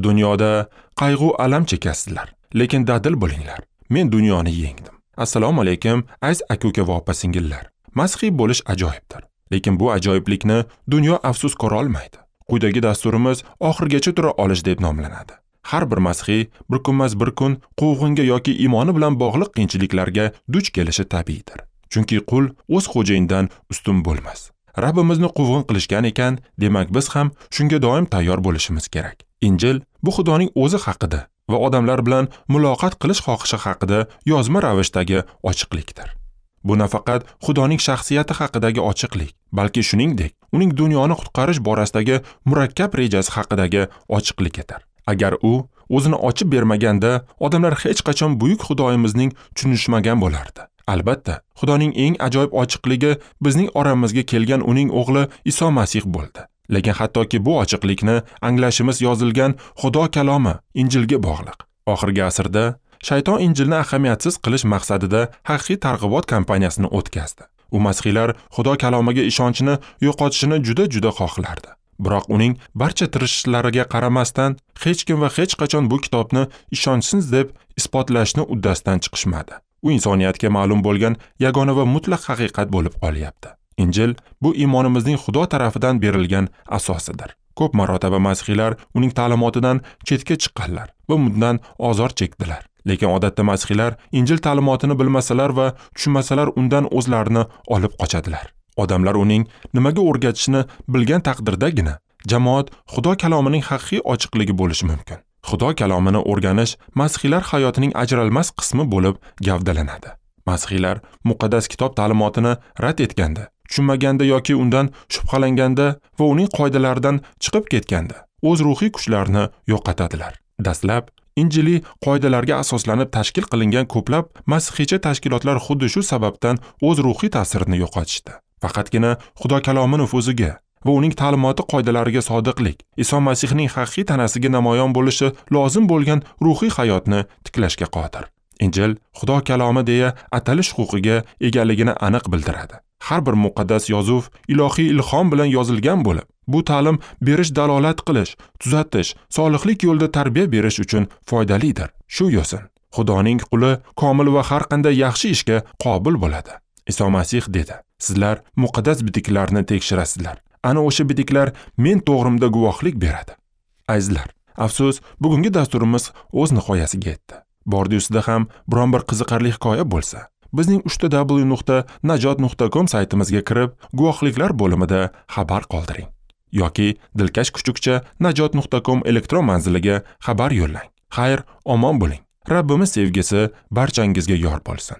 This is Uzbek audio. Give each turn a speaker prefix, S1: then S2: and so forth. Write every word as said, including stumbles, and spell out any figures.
S1: Dunyoda qayg'u alam chekasizlar, lekin dadil bo'linglar. Men dunyoni yengdim. Assalomu alaykum, aziz aka-uka va opa-singillar. Masihiy bo'lish ajoyibdir, lekin bu ajoyiblikni dunyo afsus ko'ra olmaydi. Quyidagi dasturimiz oxirigacha tura olish deb nomlanadi. Har bir masihiy bir kunmas bir kun quvg'inga yoki iymoni bilan bog'liq qiyinchiliklarga duch kelishi tabiiydir. Chunki qul o'z xo'jayinidan ustun bo'lmas. Rabbimizni quvg'in qilishgan ekan, demak biz ham shunga doim tayyor bo'lishimiz kerak. Injil bu Xudoning o'zi haqida va odamlar bilan muloqot qilish xohishi haqida yozma ravishdagi ochiqlikdir. Bu nafaqat Xudoning shaxsiyati haqidagi ochiqlik, balki shuningdek, uning dunyoni qutqarish borasidagi murakkab rejasi haqidagi ochiqlikdir. Agar u o'zini ochib bermaganda, odamlar hech qachon buyuk Xudoyimizning tushunishmagan bo'lardi. Albatta, Xudoning eng ajoyib ochiqligi bizning oramizga kelgan uning o'g'li Iso Masih bo'ldi. Lekin hattoki bu ochiqlikni anglashimiz yozilgan Xudo kalomi Injilga bog'liq. Oxirgi asrda shayton Injilni ahamiyatsiz qilish maqsadida haqiqiy targ'ibot kampaniyasini o'tkazdi. U masihiylar Xudo kalomiga ishonchini yo'qotishini juda-juda xohlardi. Biroq uning barcha tirishishlariga qaramasdan hech kim va hech qachon bu kitobni ishonchsiz deb isbotlashni uddasidan chiqishmadi. U insoniyatga ma'lum bo'lgan yagona va mutlaq haqiqat bo'lib qolyapti. Injil bu iymonimizning Xudo tarafidan berilgan asosidir. Ko'p marotaba masihiylar uning ta'limotidan chetga chiqqanlar va bundan ozor chekdilar. Lekin odatda masihiylar Injil ta'limotini bilmasalar va tushunmasalar undan o'zlarini olib qochadilar. Odamlar uning nimaga o'rgatishini bilgan taqdirdagina jamoat Xudo kalomining haqiqiy ochiqligi bo'lishi mumkin. Xudo kalomini o'rganish masihiylar hayotining ajralmas qismi bo'lib gavdalanadi. Masihiylar muqaddas kitob ta'limotini rad etganda, tushunmaganda yoki undan shubhalanganda va uning qoidalaridan chiqib ketganda o'z ruhiy kuchlarini yo'qotadilar. Dastlab Injiliy qoidalarga asoslanib tashkil qilingan ko'plab masihiycha tashkilotlar xuddi shu sababdan o'z ruhiy ta'sirini yo'qotishdi. Faqatgina Xudo kalomi nufuziga va uning ta'limoti qoidalariga sodiqlik Iso Masihning haqiqiy tanasiga namoyon bo'lishi lozim bo'lgan ruhiy hayotni tiklashga qodir. Injil Xudo kalomi deya atalish huquqiga egaligini aniq bildiradi. Har bir muqaddas yozuv ilohiy ilhom bilan yozilgan bo'lib, bu ta'lim berish, dalolat qilish, tuzatish, solihlik yo'lida tarbiya berish uchun foydalidir. Shu yo'sin Xudoning quli komil va har qanday yaxshi ishga qobil bo'ladi. Iso Masih dedi: "Sizlar muqaddas bitiklarni tekshirasizlar. Ana o'sha bitiklar men to'g'rimda guvohlik beradi." Azizlar, afsus, bugungi dasturimiz o'z nihoyasiga yetdi. Bordi ustida ham biron bir qiziqarli hikoya bo'lsa, bizning uch ta w nuqta najot nuqta com saytimizga kirib, guvohliklar bo'limida xabar qoldiring yoki dilkash kuchukcha najot nuqta com elektron manziliga xabar yo'llang. Xayr, omon bo'ling. Rabbimiz sevgisi barchangizga yor bo'lsin.